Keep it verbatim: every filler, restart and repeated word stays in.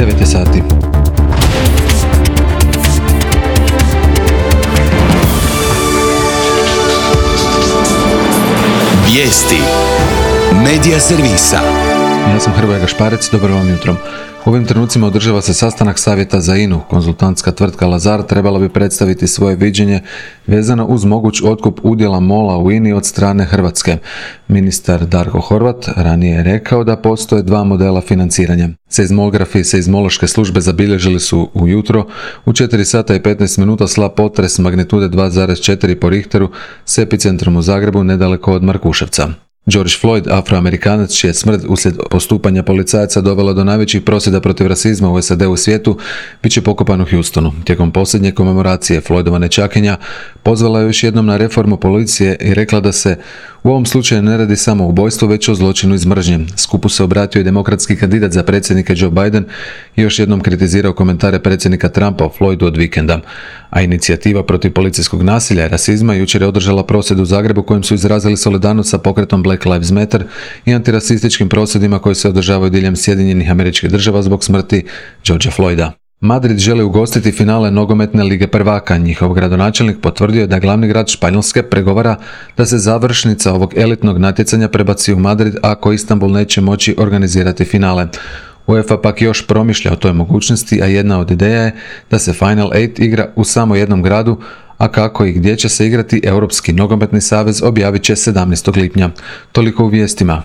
devet je sati. Vijesti Medija servisa. Ja sam Hrvoje Gašparec, dobro vam jutro. U ovim trenucima održava se sastanak savjeta za I N U. Konzultantska tvrtka Lazard trebala bi predstaviti svoje viđenje vezano uz moguć otkup udjela MOL-a u I N I od strane Hrvatske. Ministar Darko Horvat ranije je rekao da postoje dva modela financiranja. Seizmografi i seizmološke službe zabilježili su ujutro u četiri sata i petnaest minuta slab potres magnitude dva zarez četiri po Richteru s epicentrom u Zagrebu nedaleko od Markuševca. George Floyd, afroamerikanac čija je smrt uslijed postupanja policajaca dovela do najvećih prosvjeda protiv rasizma u S A D-u i svijetu, bit će pokopan u Houstonu. Tijekom posljednje komemoracije Floydova nečakinja pozvala je još jednom na reformu policije i rekla da se u ovom slučaju ne radi samo o ubojstvu, već o zločinu iz mržnje. Skupu se obratio i demokratski kandidat za predsjednika Joe Biden i još jednom kritizirao komentare predsjednika Trumpa o Floydu od vikenda. A inicijativa protiv policijskog nasilja i rasizma jučer je održala prosvjed u Zagrebu kojim su izrazili solidarnost sa pokretom Black Lives Matter i antirasističkim prosvjedima koji se održavaju diljem Sjedinjenih Američkih Država zbog smrti Georgea Floyda. Madrid želi ugostiti finale nogometne lige prvaka. Njihov gradonačelnik potvrdio je da glavni grad Španjolske pregovara da se završnica ovog elitnog natjecanja prebaci u Madrid ako Istanbul neće moći organizirati finale. UEFA pak još promišlja o toj mogućnosti, a jedna od ideja je da se Final osam igra u samo jednom gradu, a kako i gdje će se igrati Europski nogometni savez objavit će sedamnaestog lipnja. Toliko u vijestima.